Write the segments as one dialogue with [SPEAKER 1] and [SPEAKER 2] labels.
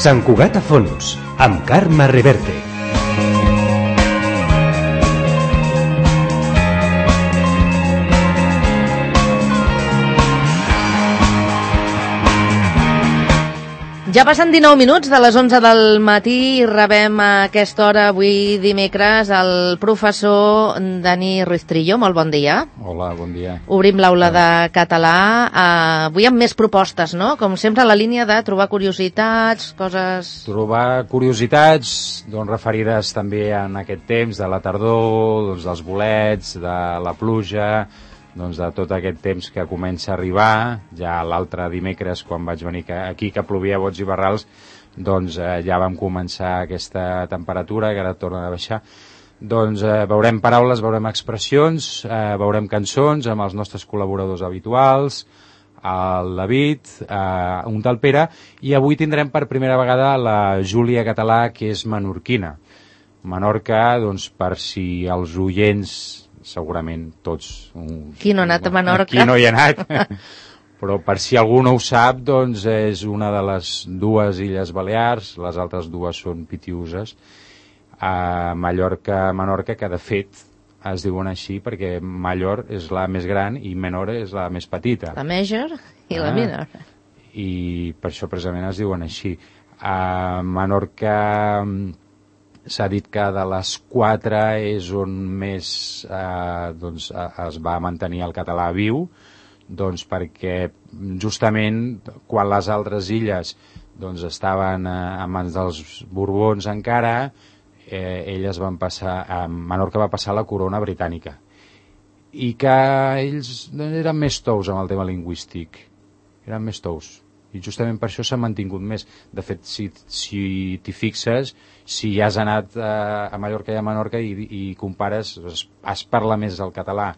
[SPEAKER 1] Sant Cugat a fons, amb Carme Reverte.
[SPEAKER 2] Ja passen 19 minuts de les 11 del matí i rebem a aquesta hora, avui dimecres, el professor Dani Ruiz Trillo. Molt bon dia.
[SPEAKER 3] Hola, bon dia.
[SPEAKER 2] Obrim l'aula de català, avui amb més propostes, no? Com sempre, la línia de trobar curiositats, coses...
[SPEAKER 3] Trobar curiositats, doncs referides també en aquest temps de la tardor, doncs dels bolets, de la pluja, doncs de tot aquest temps que comença a arribar. Ja l'altre dimecres, quan vaig venir aquí, que plovia a bots i barrals, doncs ja vam començar aquesta temperatura, que ara torna a baixar. Doncs veurem paraules, veurem expressions, veurem cançons amb els nostres col·laboradors habituals, el David, un tal Pere, i avui tindrem per primera vegada la Júlia Català, que és menorquina. Menorca, doncs, per si els oients... segurament tots...
[SPEAKER 2] Qui no ha anat a Menorca?
[SPEAKER 3] Qui no hi ha anat, però per si algú no ho sap, doncs és una de les dues illes Balears, les altres dues són Pitiüses, a Menorca, que de fet es diuen així perquè Mallor és la més gran i Menor és la més petita.
[SPEAKER 2] La Major i la Minor.
[SPEAKER 3] I per això precisament es diuen així. A Menorca... s'ha dit que de les 4 és on més doncs, es va mantenir el català viu, doncs perquè justament quan les altres illes doncs, estaven a mans dels Borbons encara, elles van passar, Menorca va passar a la corona britànica, i que ells eren més tous amb el tema lingüístic, eren més tous. I justament per això s'ha mantingut més. De fet, si t'hi fixes, si ja has anat a Mallorca i a Menorca i compares, es parla més el català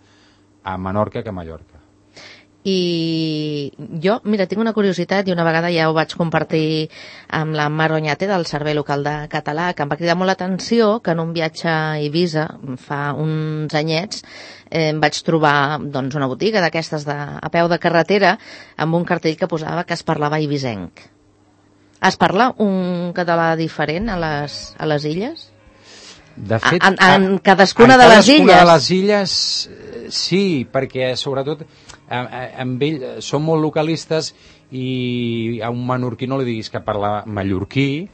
[SPEAKER 3] a Menorca que a Mallorca.
[SPEAKER 2] I jo, mira, tinc una curiositat i una vegada ja ho vaig compartir amb la Mar Oñate del Servei Local de Català, que em va cridar molt l'atenció que en un viatge a Eivissa fa uns anyets em vaig trobar doncs, una botiga d'aquestes a peu de carretera amb un cartell que posava que es parlava eivissenc. Es parla un català diferent a les illes?
[SPEAKER 3] De fet,
[SPEAKER 2] en cadascuna de les illes?
[SPEAKER 3] En cadascuna de les illes, sí, perquè sobretot amb ell són molt localistes i a un menorquí no li diguis que parla mallorquí,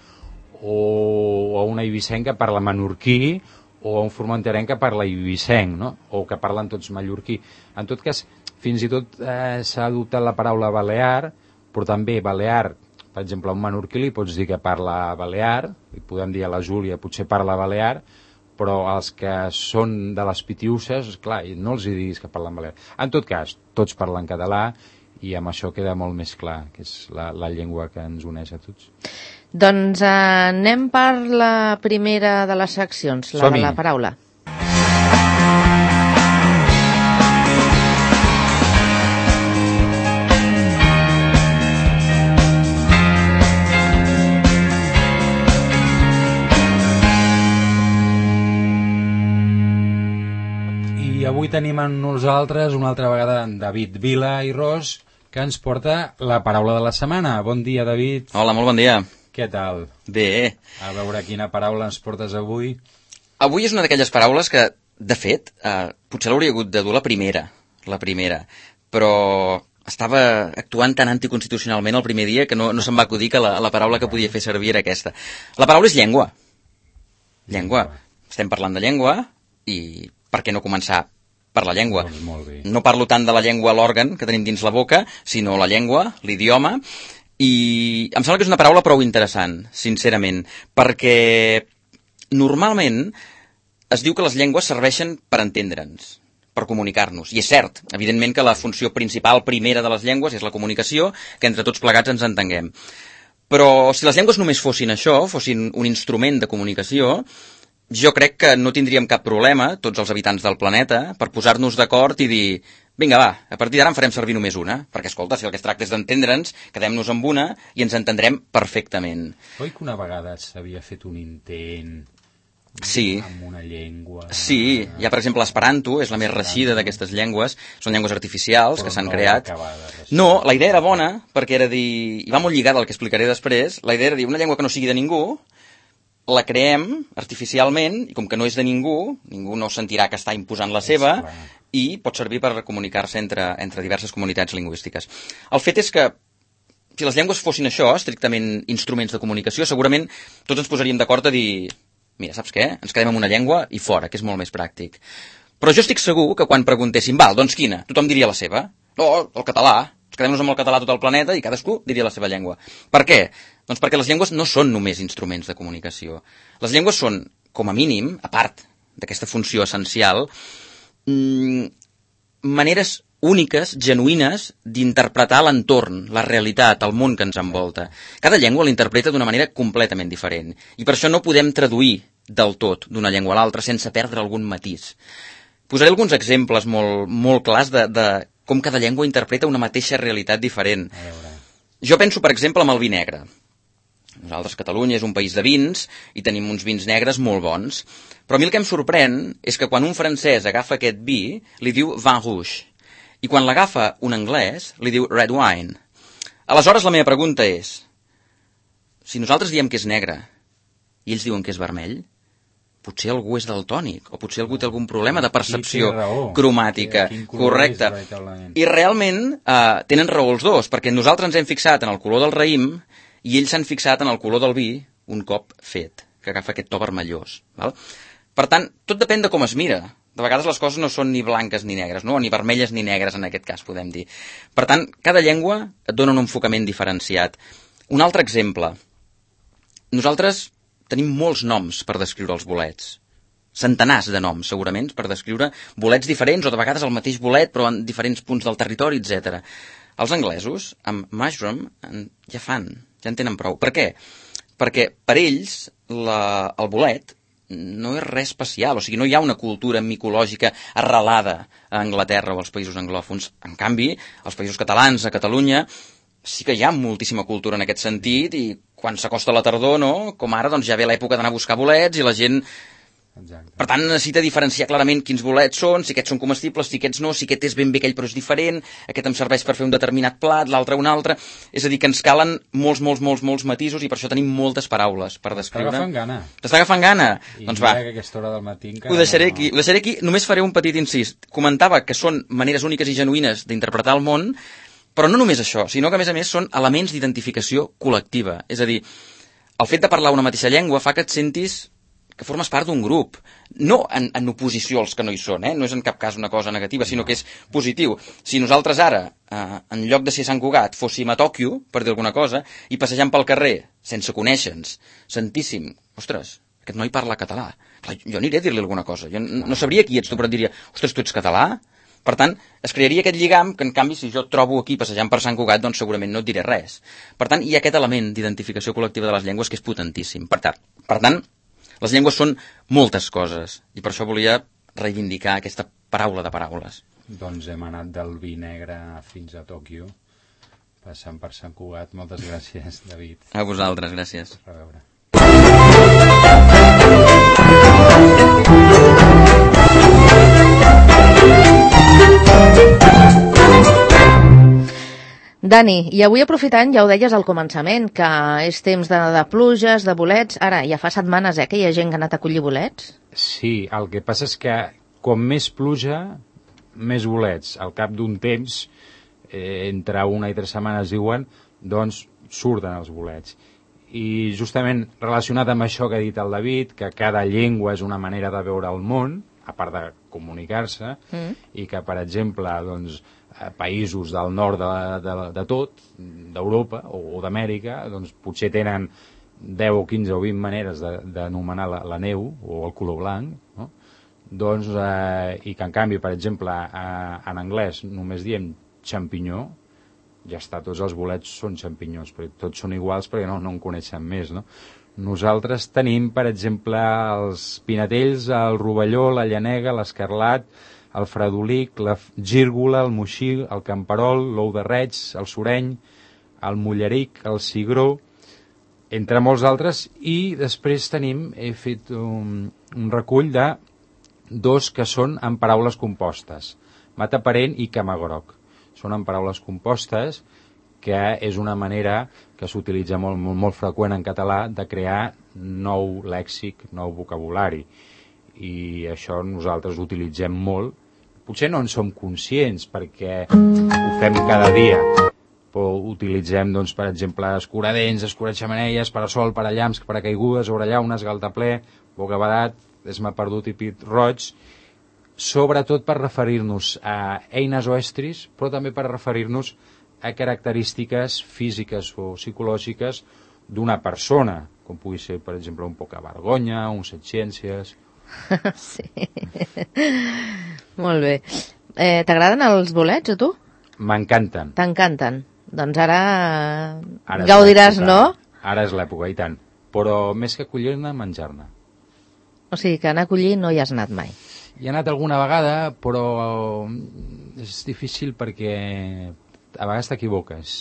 [SPEAKER 3] o a un eivissenc que parla menorquí, o a un formenterenc que parla eivissenc, no? O que parlen tots mallorquí. En tot cas, fins i tot s'ha adoptat la paraula balear, però també balear, per exemple, a un menorquí li pots dir que parla balear, li podem dir a la Júlia potser parla balear, però els que són de les Pitiüses, clar, no els hi diguis que parlen balear. En tot cas, tots parlen català i amb això queda molt més clar, que és la llengua que ens uneix a tots.
[SPEAKER 2] Doncs anem per la primera de les seccions, la de la paraula.
[SPEAKER 3] I avui tenim amb nosaltres una altra vegada en David Vila i Ros, que ens porta la paraula de la setmana. Bon dia, David.
[SPEAKER 4] Hola, molt bon dia.
[SPEAKER 3] Què tal?
[SPEAKER 4] Bé.
[SPEAKER 3] A veure quina paraula ens portes avui.
[SPEAKER 4] Avui és una d'aquelles paraules que, de fet, potser l'hauria hagut de dur la primera, però estava actuant tan anticonstitucionalment el primer dia que no se'm va acudir que la paraula que podia fer servir era aquesta. La paraula és llengua. Llengua. Estem parlant de llengua i per què no començar per la llengua?
[SPEAKER 3] Doncs molt bé.
[SPEAKER 4] No parlo tant de la llengua, l'òrgan que tenim dins la boca, sinó la llengua, l'idioma, i em sembla que és una paraula prou interessant, sincerament, perquè normalment es diu que les llengües serveixen per entendre'ns, per comunicar-nos, i és cert, evidentment que la funció principal primera de les llengües és la comunicació, que entre tots plegats ens entenguem. Però si les llengües només fossin això, fossin un instrument de comunicació, jo crec que no tindríem cap problema, tots els habitants del planeta, per posar-nos d'acord i dir vinga, va, a partir d'ara en farem servir només una, perquè, escolta, si el que es tracta és d'entendre'ns, quedem-nos amb una i ens entendrem perfectament.
[SPEAKER 3] Oi que una vegada s'havia fet un intent
[SPEAKER 4] Sí.
[SPEAKER 3] Amb una llengua...
[SPEAKER 4] Sí, hi ha, per exemple, l'esperanto, és la més reeixida d'aquestes llengües, són llengües artificials que s'han creat. No, la idea era bona, perquè era dir, i va molt lligada al que explicaré després, la idea era dir, una llengua que no sigui de ningú, la creem artificialment, i com que no és de ningú no sentirà que està imposant la seva, i pot servir per comunicar-se entre diverses comunitats lingüístiques. El fet és que, si les llengües fossin això, estrictament instruments de comunicació, segurament tots ens posaríem d'acord a dir, mira, saps què? Ens quedem amb una llengua i fora, que és molt més pràctic. Però jo estic segur que quan preguntéssim, val, doncs quina? Tothom diria la seva. No, el català. Ens quedem-nos amb el català a tot el planeta i cadascú diria la seva llengua. Per què? Doncs perquè les llengües no són només instruments de comunicació. Les llengües són, com a mínim, a part d'aquesta funció essencial, maneres úniques, genuïnes, d'interpretar l'entorn, la realitat, el món que ens envolta. Cada llengua l'interpreta d'una manera completament diferent. I per això no podem traduir del tot d'una llengua a l'altra sense perdre algun matís. Posaré alguns exemples molt clars de com cada llengua interpreta una mateixa realitat diferent. Jo penso, per exemple, en el vi negre. Nosaltres, Catalunya, és un país de vins i tenim uns vins negres molt bons. Però a mi el que em sorprèn és que quan un francès agafa aquest vi, li diu vin rouge. I quan l'agafa un anglès, li diu red wine. Aleshores, la meva pregunta és, si nosaltres diem que és negre i ells diuen que és vermell, potser algú és daltònic, o potser algú té algun problema de percepció cromàtica. Correcte. I realment tenen raó els dos, perquè nosaltres ens hem fixat en el color del raïm i ells s'han fixat en el color del vi un cop fet, que agafa aquest to vermellós. Val? Per tant, tot depèn de com es mira. De vegades les coses no són ni blanques ni negres, no? Ni vermelles ni negres, en aquest cas, podem dir. Per tant, cada llengua et dona un enfocament diferenciat. Un altre exemple. Nosaltres tenim molts noms per descriure els bolets. Centenars de noms, segurament, per descriure bolets diferents, o de vegades el mateix bolet, però en diferents punts del territori, etc. Els anglesos, amb mushroom, ja en tenen prou. Per què? Perquè per ells el bolet no és res especial, o sigui, no hi ha una cultura micològica arrelada a Anglaterra o als països anglòfons. En canvi, als països catalans, a Catalunya, sí que hi ha moltíssima cultura en aquest sentit, i quan s'acosta la tardor, no? Com ara, doncs ja ve l'època d'anar a buscar bolets i la gent... Exacte. Per tant, necessita diferenciar clarament quins bolets són, si aquests són comestibles, si aquests no, si aquest és ben bé aquell però és diferent, aquest em serveix per fer un determinat plat, l'altre un altre... És a dir, que ens calen molts matisos i per això tenim moltes paraules per descriure. T'està agafant gana?
[SPEAKER 3] I
[SPEAKER 4] doncs va.
[SPEAKER 3] Que aquesta hora del matí encara
[SPEAKER 4] ho deixaré aquí. Només faré un petit incís. Comentava que són maneres úniques i genuïnes d'interpretar el món, però no només això, sinó que a més són elements d'identificació col·lectiva. És a dir, el fet de parlar una mateixa llengua fa que et sentis que formes part d'un grup, no en oposició als que no hi són, no és en cap cas una cosa negativa, sinó que és positiu. Si nosaltres ara, en lloc de ser a Sant Cugat, fóssim a Tòquio, per dir alguna cosa, i passejant pel carrer, sense conèixer-nos, sentíssim, ostres, aquest noi parla català, clar, jo aniré a dir-li alguna cosa, jo no sabria qui ets tu, però et diria, ostres, tu ets català? Per tant, es crearia aquest lligam que, en canvi, si jo et trobo aquí passejant per Sant Cugat, doncs segurament no et diré res. Per tant, hi ha aquest element d'identificació col·lectiva de les llengües que és potentíssim. Per tant, les llengües són moltes coses, i per això volia reivindicar aquesta paraula de paraules.
[SPEAKER 3] Doncs hem anat del vi negre fins a Tòquio, passant per Sant Cugat. Moltes gràcies, David.
[SPEAKER 4] A vosaltres, gràcies.
[SPEAKER 3] A veure.
[SPEAKER 2] Dani, i avui aprofitant, ja ho deies al començament, que és temps de pluges, de bolets. Ara, ja fa setmanes que hi ha gent que ha anat a collir bolets.
[SPEAKER 3] Sí, el que passa és que com més pluja, més bolets. Al cap d'un temps, entre 1 i 3 setmanes diuen, doncs surten els bolets. I justament relacionat amb això que ha dit el David, que cada llengua és una manera de veure el món, a part de comunicar-se, i que, per exemple, doncs, països del nord de tot, d'Europa o d'Amèrica, doncs potser tenen 10 o 15 o 20 maneres d'anomenar la neu o el color blanc, no? Doncs, i que en canvi, per exemple, en anglès només diem xampinyó, ja està, tots els bolets són xampinyons, perquè tots són iguals perquè no en coneixen més, no? Nosaltres tenim, per exemple, els pinetells, el rovelló, la llanega, l'escarlat, el fredolic, la gírgola, el moixí, el camperol, l'ou de reig, el soreny, el mulleric, el cigró, entre molts altres, i després he fet un recull de 2 que són en paraules compostes, mataparent i camagroc. Són en paraules compostes, que és una manera que s'utilitza molt freqüent en català de crear nou lèxic, nou vocabulari. I això nosaltres ho utilitzem molt. Potser no en som conscients perquè ho fem cada dia, però utilitzem, doncs, per exemple, escuradents, escuraxamanelles, parasol, parallamps, paracaigudes, orellaunes, galtaplè, bocabadat, esma perdut i pit roig, sobretot per referir-nos a eines o estris, però també per referir-nos a característiques físiques o psicològiques d'una persona, com pugui ser, per exemple, un poca vergonya, un setciències...
[SPEAKER 2] Sí. Molt bé. T'agraden els bolets, a tu?
[SPEAKER 3] M'encanten.
[SPEAKER 2] T'encanten. Doncs ara gaudiràs, no?
[SPEAKER 3] Ara és l'època, i tant. Però més que collir-ne, menjar-ne.
[SPEAKER 2] O sigui que anar a collir no hi has anat mai.
[SPEAKER 3] Hi he anat alguna vegada, però és difícil perquè a vegades t'equivoques.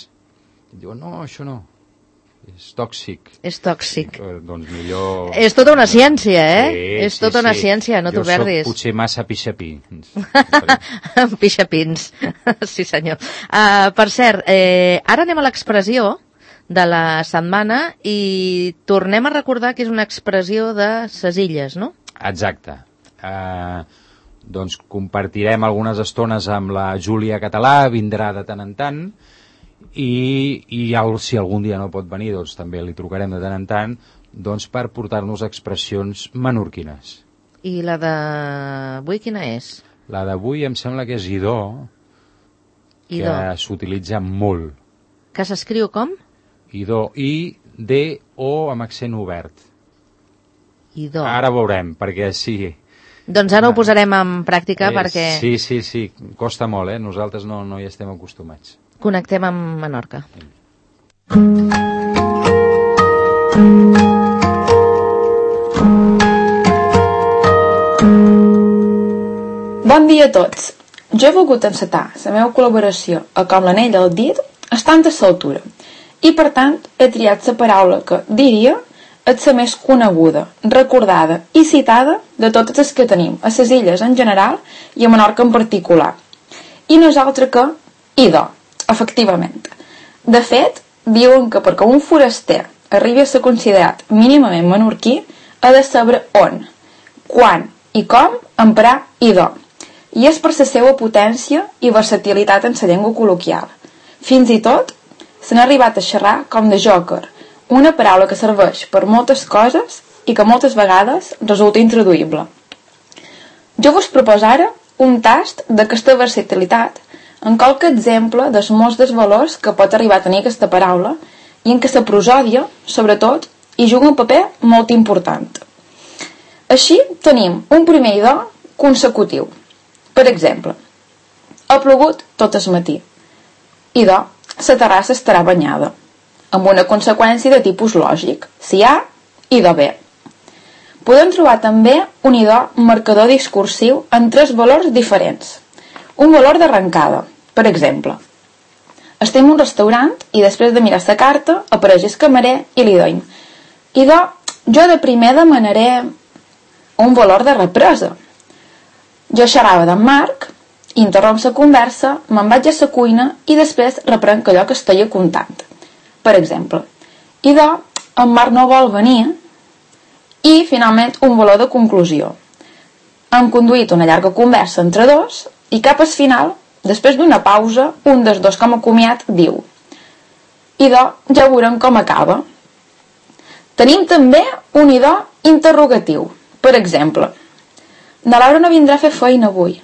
[SPEAKER 3] Et diuen, no, això no. És tòxic.
[SPEAKER 2] És tòxic.
[SPEAKER 3] Doncs millor...
[SPEAKER 2] És tota una ciència, eh?
[SPEAKER 3] Sí,
[SPEAKER 2] és tota una ciència, no t'ho perdis.
[SPEAKER 3] Jo soc potser massa pixapí.
[SPEAKER 2] Pixapins, sí senyor. Per cert, ara anem a l'expressió de la setmana i tornem a recordar que és una expressió de ses illes, no?
[SPEAKER 3] Exacte. Doncs compartirem algunes estones amb la Júlia Català, vindrà de tant en tant, i si algun dia no pot venir, doncs també li trucarem de tant en tant, doncs per portar-nos expressions menorquines.
[SPEAKER 2] I la d'avui quina és?
[SPEAKER 3] La d'avui em sembla que és idò, que s'utilitza molt.
[SPEAKER 2] Que s'escriu com?
[SPEAKER 3] Idò, I-D-O amb accent obert.
[SPEAKER 2] Idò.
[SPEAKER 3] Ara veurem, perquè sí.
[SPEAKER 2] Doncs ara ho posarem en pràctica perquè...
[SPEAKER 3] Sí, costa molt, nosaltres no hi estem acostumats.
[SPEAKER 2] Connectem amb Menorca.
[SPEAKER 5] Bon dia a tots. Jo he volgut encetar la meva col·laboració a Com l'anell al dit estant a l'altura i, per tant, he triat la paraula que, diria, és la més coneguda, recordada i citada de totes les que tenim, a les illes en general i a Menorca en particular. I no és altra que idò, efectivament. De fet, diuen que perquè un foraster arribi a ser considerat mínimament menorquí ha de saber on, quan i com emprar idò. I és per la seva potència i versatilitat en la llengua col·loquial. Fins i tot s'han arribat a xerrar com de jòquer, una paraula que serveix per moltes coses i que moltes vegades resulta intraduïble. Jo vos proposo ara un tast d'aquesta versatilitat en qualque exemple dels molts dels valors que pot arribar a tenir aquesta paraula i en què la prosòdia, sobretot, hi juga un paper molt important. Així tenim un primer idò consecutiu. Per exemple, ha plogut tot el matí. Idò, la terrassa estarà banyada, amb una conseqüència de tipus lògic. Si hi ha, idò bé. Podem trobar també un idò marcador discursiu en 3 valors diferents. Un valor d'arrencada. Per exemple, estem en un restaurant i després de mirar la carta apareix el camarer i li doim. Idò, jo de primer demanaré un valor de represa. Jo xerrava d'en Marc, interromp la conversa, me'n vaig a la cuina i després reprenc allò que estic contant. Per exemple, idò, en Marc no vol venir i, finalment, un valor de conclusió. Hem conduït una llarga conversa entre dos i cap al final, després d'una pausa, un dels dos com a comiat diu: idò, ja veurem com acaba. Tenim també un idò interrogatiu. Per exemple, na Laura no vindrà a fer feina avui.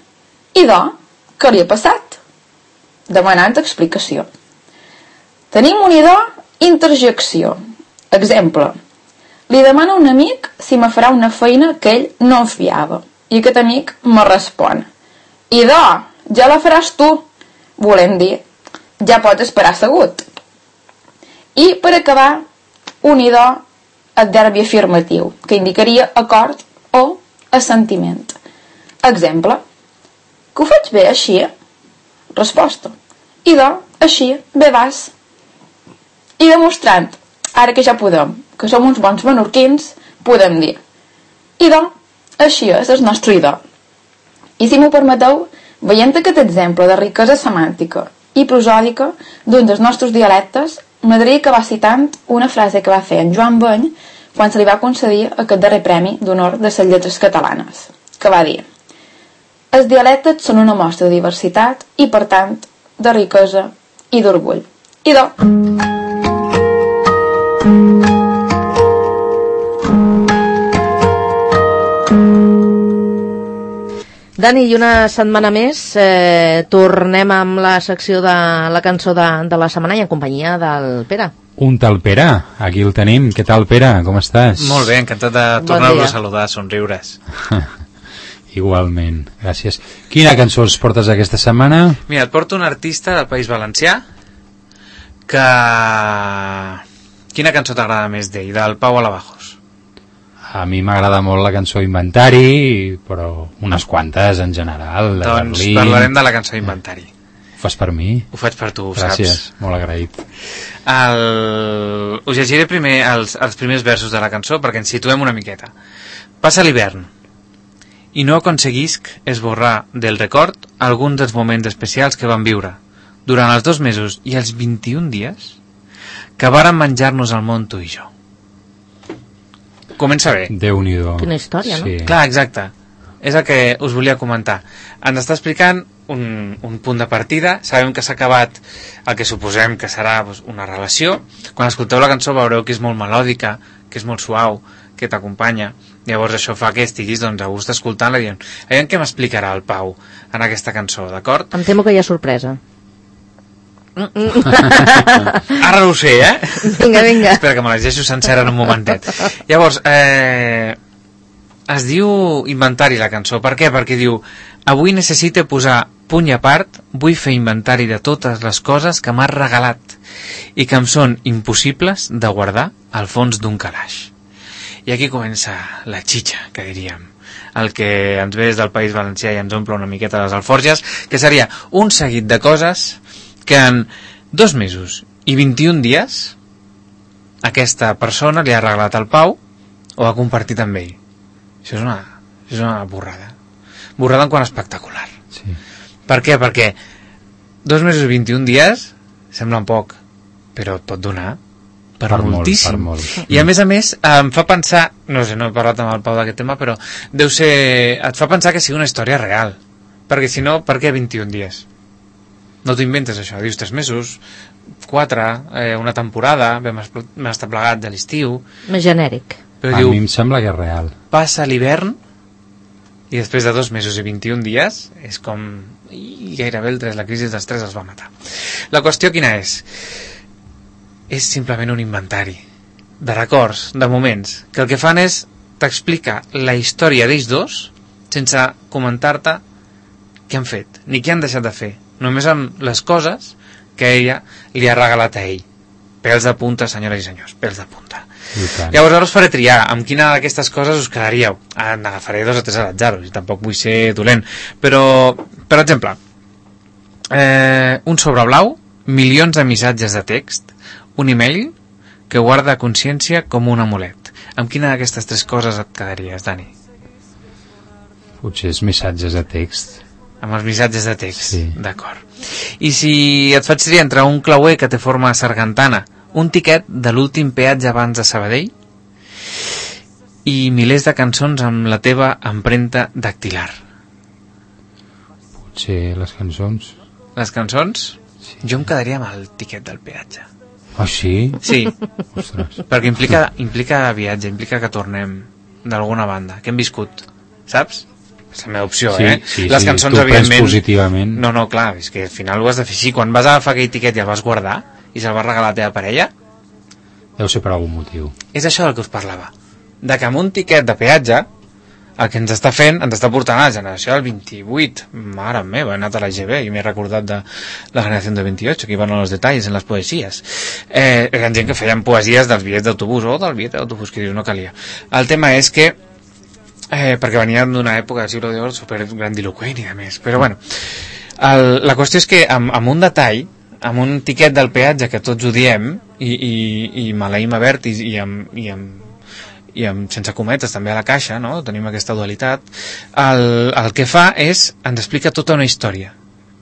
[SPEAKER 5] Idò, què li ha passat? Demanant explicació. Tenim un idò interjecció. Exemple, li demano a un amic si me farà una feina que ell no en fiava. I aquest amic me respon: idò, ja la faràs tu. Volem dir, ja pots esperar assegut. I, per acabar, un idò adverbi afirmatiu, que indicaria acord o assentiment. Exemple, que ho faig bé així? Resposta, idò, així, bé vas. I demostrant, ara que ja podem, que som uns bons menorquins, podem dir: idò, Així és el nostre idò. I si m'ho permeteu, veient aquest exemple de riquesa semàntica i prosòdica d'un dels nostres dialectes, m'agradaria acabar citant una frase que va fer en Joan Beny quan se li va concedir aquest darrer premi d'honor de les lletres catalanes, que va dir: els dialectes són una mostra de diversitat i, per tant, de riquesa i d'orgull. Idò!
[SPEAKER 2] Dani, i una setmana més tornem amb la secció de la cançó de la setmana i en companyia del Pere.
[SPEAKER 3] Un tal Pere, aquí el tenim. Què tal, Pere? Com estàs?
[SPEAKER 6] Molt bé, encantat de tornar-vos a saludar, somriures.
[SPEAKER 3] Igualment, gràcies. Quina cançó els portes aquesta setmana?
[SPEAKER 6] Mira, et porto un artista del País Valencià que... Quina cançó t'agrada més d'ell? Del Pau Alabajos.
[SPEAKER 3] A mi m'agrada molt la cançó Inventari, però unes quantes en general.
[SPEAKER 6] Doncs parlarem de la cançó Inventari.
[SPEAKER 3] Ho fas per mi?
[SPEAKER 6] Ho faig per tu,
[SPEAKER 3] gràcies,
[SPEAKER 6] saps?
[SPEAKER 3] Molt agraït.
[SPEAKER 6] Us llegiré primer els primers versos de la cançó perquè ens situem una miqueta. Passa l'hivern i no aconseguisc esborrar del record alguns dels moments especials que vam viure durant els 2 mesos i els 21 dies que vàrem menjar-nos al món tu i jo. Comença bé.
[SPEAKER 3] Déu-n'hi-do.
[SPEAKER 2] Quina història, no?
[SPEAKER 3] Sí.
[SPEAKER 6] Clar, exacte. És el que us volia comentar. Ens està explicant un punt de partida. Sabem que s'ha acabat el que suposem que serà una relació. Quan escolteu la cançó veureu que és molt melòdica, que és molt suau, que t'acompanya. Llavors això fa que estiguis a gust escoltant-la i dient, aviam què m'explicarà el Pau en aquesta cançó, d'acord?
[SPEAKER 2] Em temo que hi ha sorpresa.
[SPEAKER 6] Ara no ho sé, eh?
[SPEAKER 2] Vinga.
[SPEAKER 6] Espera que me la llegeixo sencera en un momentet. Llavors, es diu Inventari la cançó. Per què? Perquè diu: avui necessite posar puny a part, vull fer inventari de totes les coses que m'has regalat i que em són impossibles de guardar al fons d'un calaix. I aquí comença la xitxa, que diríem. El que ens ve des del País Valencià i ens omple una miqueta les alforges, que seria un seguit de coses que en 2 mesos i 21 dies aquesta persona li ha regalat al Pau o ha compartit amb ell. Això és una borrada. Borrada en quant espectacular.
[SPEAKER 3] Sí.
[SPEAKER 6] Per què? Perquè 2 mesos i 21 dies semblen poc, però et pot donar per moltíssim. I a més, em fa pensar, no sé, no he parlat amb el Pau d'aquest tema, però et fa pensar que sigui una història real. Perquè si no, per què 21 dies? No t'ho inventes, això. Dius 3 mesos, 4, una temporada, vam estar plegats a l'estiu.
[SPEAKER 2] Més genèric.
[SPEAKER 6] Però
[SPEAKER 3] a mi em sembla que és real.
[SPEAKER 6] Passa l'hivern i després de 2 mesos i 21 dies és com... I gairebé la crisi dels 3 els va matar. La qüestió quina és? És simplement un inventari de records, de moments, que el que fan és t'explicar la història d'ells dos sense comentar-te què han fet, ni què han deixat de fer. Només amb les coses que ella li ha regalat a ell. Pèls de punta, senyores i senyors, pèls de punta. Llavors ara us faré triar amb quina d'aquestes coses us quedaríeu. N'agafaré 2 o 3 a l'atzar, i tampoc vull ser dolent. Però, per exemple, un sobre blau, milions de missatges de text, un email que guarda consciència com un amulet. Amb quina d'aquestes 3 coses et quedaries, Dani?
[SPEAKER 3] Potser és missatges de text.
[SPEAKER 6] Amb els missatges de text,
[SPEAKER 3] sí.
[SPEAKER 6] D'acord. I si et faig triar entre un clauer que té forma sargantana, un tiquet de l'últim peatge abans de Sabadell i milers de cançons amb la teva empremta dactilar?
[SPEAKER 3] Potser les cançons.
[SPEAKER 6] Les cançons?
[SPEAKER 3] Sí.
[SPEAKER 6] Jo em quedaria amb el tiquet del peatge.
[SPEAKER 3] Oh, sí?
[SPEAKER 6] Sí.
[SPEAKER 3] Ostres.
[SPEAKER 6] Perquè implica viatge, implica que tornem d'alguna banda, que hem viscut, saps? És la meva opció,
[SPEAKER 3] sí, sí,
[SPEAKER 6] les cançons,
[SPEAKER 3] tu
[SPEAKER 6] evidentment...
[SPEAKER 3] positivament.
[SPEAKER 6] No, clar, és que al final ho has de fer així. Quan vas agafar aquell tiquet i el vas guardar i se'l vas regalar a la teva parella...
[SPEAKER 3] Deu ser per algun motiu.
[SPEAKER 6] És això del que us parlava. De que amb un tiquet de peatge el que ens està fent, ens està portant a la generació del 28. Mare meva, he anat a la GB i m'he recordat de la generació del 28, que hi van a los detalls en les poesies. Hi ha gent que feien poesies dels bitllets d'autobús o del bitllet d'autobús, que dius, no calia. El tema és que perquè venien d'una època del segle d'or super grandiloquent i de més, però bueno, la qüestió és que amb un detall, amb un tiquet del peatge que tots ho diem i maleïm a verd i sense cometes també a la caixa, no? Tenim aquesta dualitat, el que fa és, ens explica tota una història,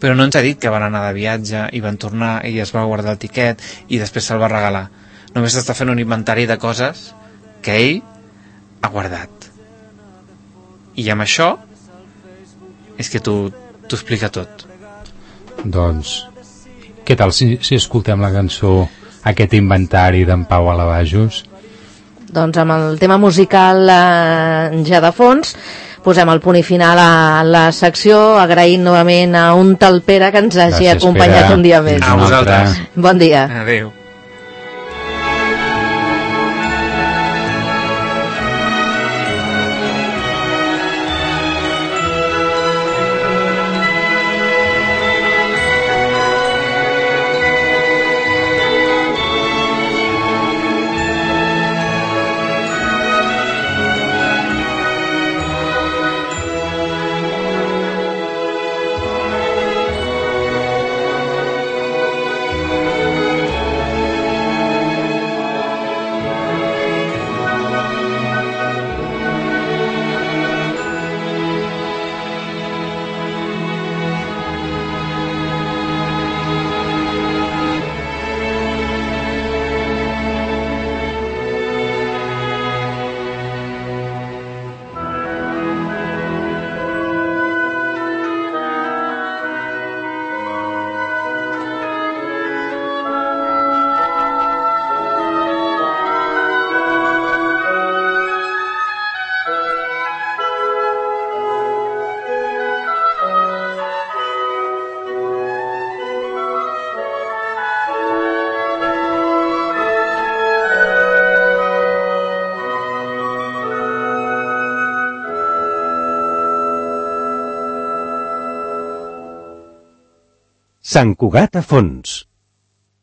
[SPEAKER 6] però no ens ha dit que van anar de viatge i van tornar i es va guardar el tiquet i després se'l va regalar. Només està fent un inventari de coses que ell ha guardat. I amb això és que t'ho explica tot.
[SPEAKER 3] Doncs, què tal si escoltem la cançó Aquest inventari d'en Pau Alabajos?
[SPEAKER 2] Doncs amb el tema musical ja de fons posem el punt i final a la secció, agraint novament a un tal Pere que ens hagi acompanyat un dia més.
[SPEAKER 6] A vosaltres.
[SPEAKER 2] Bon dia.
[SPEAKER 6] Adéu.
[SPEAKER 1] Sant Cugat a fons.